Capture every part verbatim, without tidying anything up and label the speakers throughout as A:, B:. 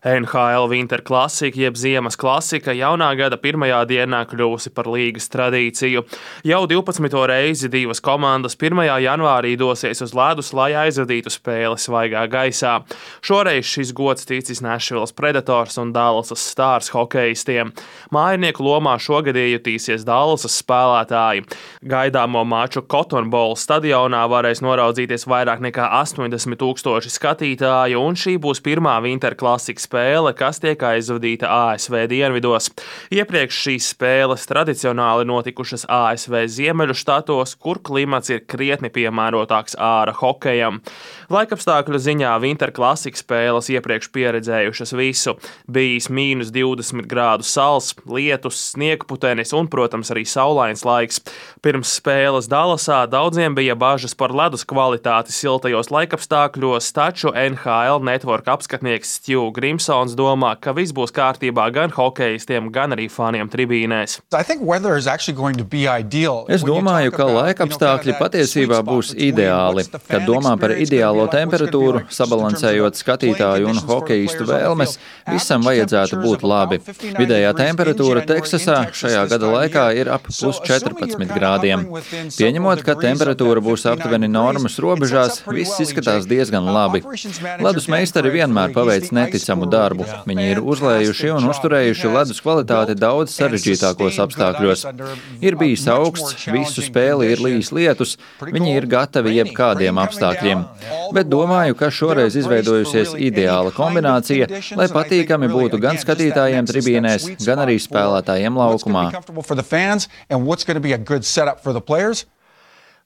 A: N H L Winter Classic jeb Ziemas klasika jaunā gada pirmajā dienā kļuvusi par līgas tradīciju. Jau divpadsmito reizi divas komandas pirmajā janvārī dosies uz ledus, lai aizvadītu spēli svaigā gaisā. Šoreiz šis gods ticis Nashvilles Predators un Dallasas Stars hokejistiem. Mājinieku lomā šogad iejutīsies Dallasas spēlētāji. Gaidāmo maču Cotton Bowl stadionā varēs noraudzīties vairāk nekā astoņdesmit tūkstoši skatītāju, un šī būs pirmā Winter Classic spēle, kas tiek aizvadīta A S V dienvidos. Iepriekš šīs spēles tradicionāli notikušas A S V ziemeļu štatos, kur klimats ir krietni piemērotāks āra hokejam. Laikapstākļu ziņā Winter Classic spēles iepriekš pieredzējušas visu. Bijis mīnus divdesmit grādu sals, lietus, sniegputenis un, protams, arī saulains laiks. Pirms spēles Dallasā daudziem bija bažas par ledus kvalitāti siltajos laikapstākļos, taču N H L Network apskatnieks Stu Grimsons domā, ka viss būs kārtībā gan hokejistiem, gan arī faniem tribīnēs.
B: Es domāju, ka laikapstākļi patiesībā būs ideāli. Kad domā par ideālo temperatūru, sabalansējot skatītāju un hokejistu vēlmes, visam vajadzētu būt labi. Vidējā temperatūra Teksasā šajā gada laikā ir ap plus četrpadsmit grādiem. Pieņemot, ka temperatūra būs aptuveni normas robežās, viss izskatās diezgan labi. Ledus meistari vienmēr paveic neticamu darbu. Viņi ir uzlējuši un uzturējuši ledus kvalitāti daudz sarežģītākos apstākļos. Ir bijis augsts, visu spēli ir lijis lietus, viņi ir gatavi jebkādiem apstākļiem. Bet domāju, ka šoreiz izveidojusies ideāla kombinācija, lai patīkami būtu gan skatītājiem tribīnēs, gan arī spēlētājiem laukumā.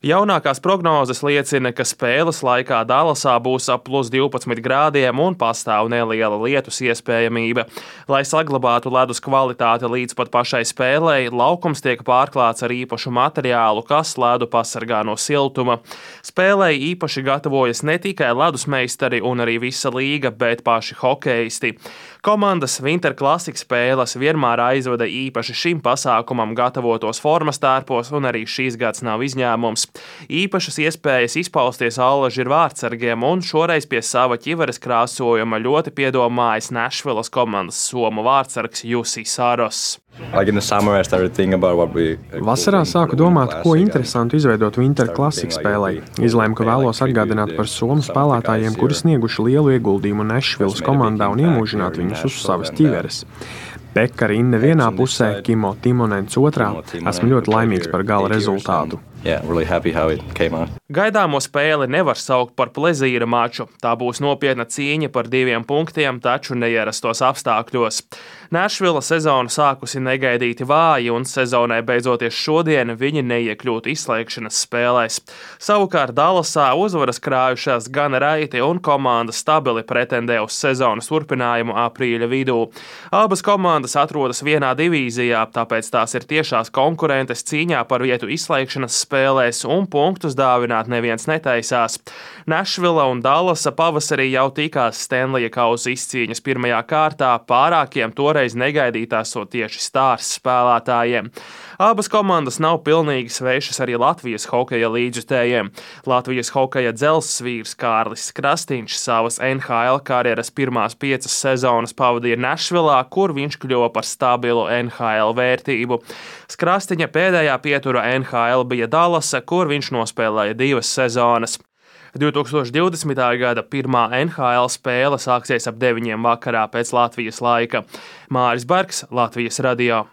A: Jaunākās prognozes liecina, ka spēles laikā Dallasā būs ap plus divpadsmit grādiem un pastāv neliela lietus iespējamība. Lai saglabātu ledus kvalitāti līdz pat pašai spēlei, laukums tiek pārklāts ar īpašu materiālu, kas ledu pasargā no siltuma. Spēlei īpaši gatavojas ne tikai ledus meistari un arī visa līga, bet paši hokejisti. Komandas Winter Classic spēles vienmēr aizvada īpaši šim pasākumam gatavotos formas tērpos, un arī šīs gads nav izņēmums. Īpašas iespējas izpausties allaži ir vārdsargiem, un šoreiz pie sava ķiveres krāsojuma ļoti piedomājis Nashvilles komandas somu vārdsargs Jusi Saros.
C: Vasarā sāku domāt, ko interesantu izveidot Winter Classic spēlei. Izlēmu, ka vēlos atgādināt par somu spēlētājiem, kuri snieguši lielu ieguldījumu Nashvilles komandā un iemūžināt viņus uz savas ķiveres. Pekka Rinne vienā pusē, Kimo Timonens otrā. Esmu ļoti laimīgs par gala rezultātu.
B: Yeah, really happy how it came out.
A: Gaidāmo spēli nevar saukt par plezīra maču. Tā būs nopietna cīņa par diviem punktiem, taču neierastos apstākļos. Nashville sezonu sākusi negaidīti vāji, un sezonai beidzoties šodien viņi neiekļūtu izslēgšanas spēlēs. Savukārt Dallasā uzvaras krājušās gan raiti, un komanda stabili pretendē uz sezonas turpinājumu aprīļa vidū. Abas komandas atrodas vienā divīzijā, tāpēc tās ir tiešās konkurentes cīņā par vietu izslēgšanas spēlēs, un punktus dāvināt neviens netaisās. Nashville un Dallasa pavasarī jau tikās Stanleya kausa izcīņas pirmajā kārtā, pārākiem toreiz negaidītās so tieši Stars spēlētājiem. Abas komandas nav pilnīgi svešas arī Latvijas hokeja līdzjutējiem. Latvijas hokeja dzelzsvīrs Kārlis Krastīņš savas N H L karjeras pirmās piecas sezonas pavadīja Nashvillā, kur viņš kļuva par stabilu N H L vērtību. Krastīņa pēdējā pietura N H L bija Dallasa, kur viņš nospēlēja divas sezonas. divtūkstoš divdesmitā gada pirmā N H L spēle sāksies ap deviņiem vakarā pēc Latvijas laika. Māris Bergs, Latvijas radio.